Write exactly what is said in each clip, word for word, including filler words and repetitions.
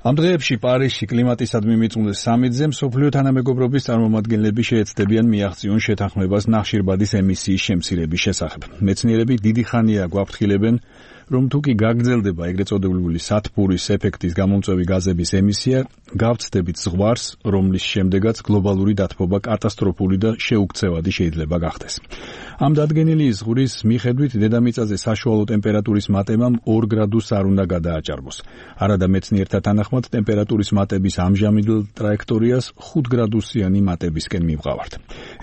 ამ დღეებში პარიზში კლიმატისადმი მიწუნდეს სამიტზე მსოფლიო თანამეგობრობის წარმომადგენლები შეეცდებიან მიაღწიონ შეთანხმებას ნახშირბადის ემისიის შემცირების შესახებ. მეცნიერები დიდი ხანია გვაფრთხილებენ, რომ თუ კი გაგრძელდება ეგრეთ წოდებული სათბურის ეფექტის გამომწვევი გაზების ემისია, გავცდებით ზღვარს, რომლის შემდეგაც გლობალური დათბობა კატასტროფული და შეუქცევადი შეიძლება გახდეს. ამ დადგენილი ზღვრის მიხედვით დედამიწაზე საშუალო ტემპერატურის მატებამ ორ გრადუსს არ უნდა გადააჭარბოს. არადა მეცნიერთა თანახმად ტემპერატურის მატების ამჟამინდელ ტრაექტორიას ხუთ გრადუსიანი მატებისკენ მივყავართ.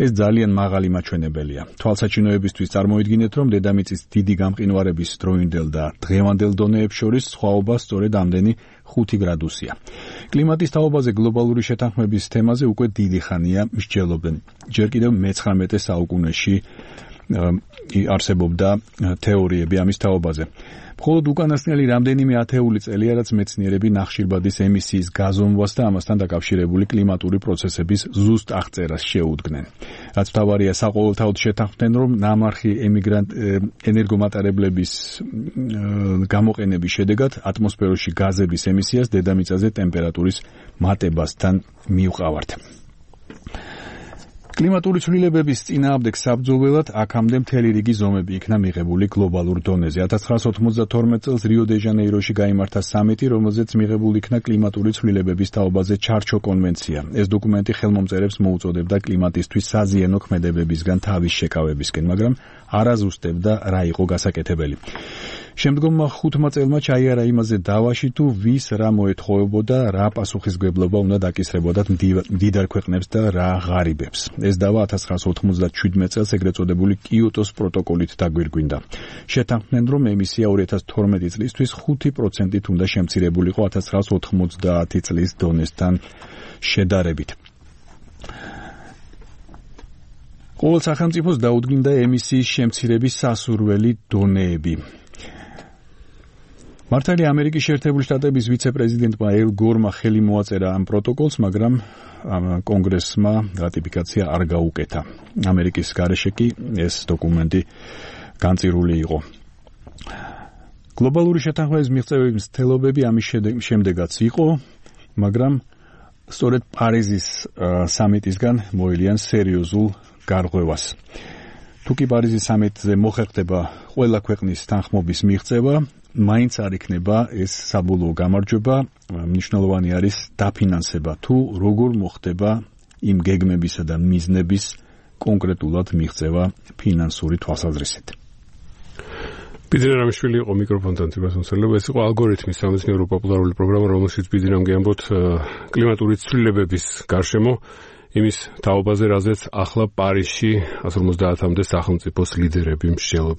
ეს ძალიან მაღალი მაჩვენებელია. თვალსაჩინოებისთვის წარმოიდგინეთ, რომ დედამიწის დიდი გამყინვარების დროინდელ და დღევანდელ დონეებს შორის სხვაობა სწორედ ამდენი ხუთი გრადუსია. კლიმატის თაობაზე გლობალური შეთანხმების თემაზე უკვე დიდი ხანია მსჯელობენ. ჯერ კიდევ მეცხრამეტე საუკუნეში არსებობდა თეორიები ამის თაობაზე. მხოლოდ უკანასკნელი რამდენიმე ათეული წელია, რაც მეცნიერები ნახშირბადის ემისიის გაზომვას და ამასთან დაკავშირებული კლიმატური პროცესების ზუსტ აღწერას შეუდგნენ. რაც მთავარია, საყოველთაოდ შეთანხმდნენ, რომ ნამარხი ემიგრანტ ენერგომატარებლების გამოყენების შედეგად ატმოსფეროში გაზების ემისიას დედამიწაზე ტემპერატურის მატებასთან მივყავართ. კლიმატური ცვლილებების წინააღმდეგ საბრძოლველად აქამდე მთელი რიგი ზომები იქნა მიღებული გლობალურ დონეზე. ათას ცხრაასა ოთხმოცდათორმეტ წელს რიო-დე-ჟანეიროში გაიმართა სამიტი, რომელზეც მიღებული იქნა კლიმატური ცვლილებების თაობაზე ჩარჩო კონვენცია. ეს დოკუმენტი ხელმომწერებს მოუწოდებდა კლიმატისთვის საზიანო ქმედებებისგან თავის შეკავებისკენ, მაგრამ არ აზუსტებდა რა იყო გასაკეთებელი. შემდგომმა ხუთმა წელმა ჩაიარა იმაზე დავაში, თუ ვის რა მოეთხოვებოდა, რა პასუხისმგებლობა უნდა დაკისრებოდათ მდიდარ ქვეყნებს და რა ღარიბებს. ეს დავა ათას ცხრაასა ოცდაათმეტ წელს ეგრეთ წოდებული კიოტოს პროტოკოლით დაგვირგვინდა. შეთანხმდნენ, რომ ემისია ორი ათას თორმეტი წლისთვის ხუთი პროცენტით უნდა შემცირებულიყო ათას ცხრაასა ოთხმოცდაათი წლის დონესთან შედარებით. ყოველ სახელმწიფოს დაუდგინდა ემისიის შემცირების სასურველი დონეები. მართალია ამერიკის შეერთებული შტატების ვიცე-პრეზიდენტმა ელ გორმა ხელი მოაწერა ამ პროტოკოლს, მაგრამ კონგრესმა რატიფიკაცია არ გაუკეთა. ამერიკის გარეშე კი ეს დოკუმენტი განწირული იყო. გლობალური შეთანხმების მიღწევების მცდელობები ამის შემდეგაც იყო, მაგრამ სწორედ პარიზის სამიტისგან მოელიან სერიოზულ გარღვევას. თუ კი პარიზის სამიტზე მოხერხდება ყველა ქვეყნის თანხმობის მიღწევა, მაინც არ იქნება ეს საბოლოო გამარჯვება, მნიშვნელოვანი არის დაფინანსება, თუ როგორ მოხდება იმ გეგმებისა და მიზნების კონკრეტულად მიღწევა ფინანსური თვალსაზრისით. ბიძინა რამიშვილი იყო მიკროფონთან თვითმსახურება. ეს იყო ალგორითმის სამეცნიერო პოპულარული პროგრამა, რომელშიც ბიძინამ გეამბოთ კლიმატური ცვლილებების გარშემო იმის თაობაზე, რაზეც ახლა პარიზში ათას ორმოცდაათამდე სახელმწიფოს ლიდერები მსჯელობენ.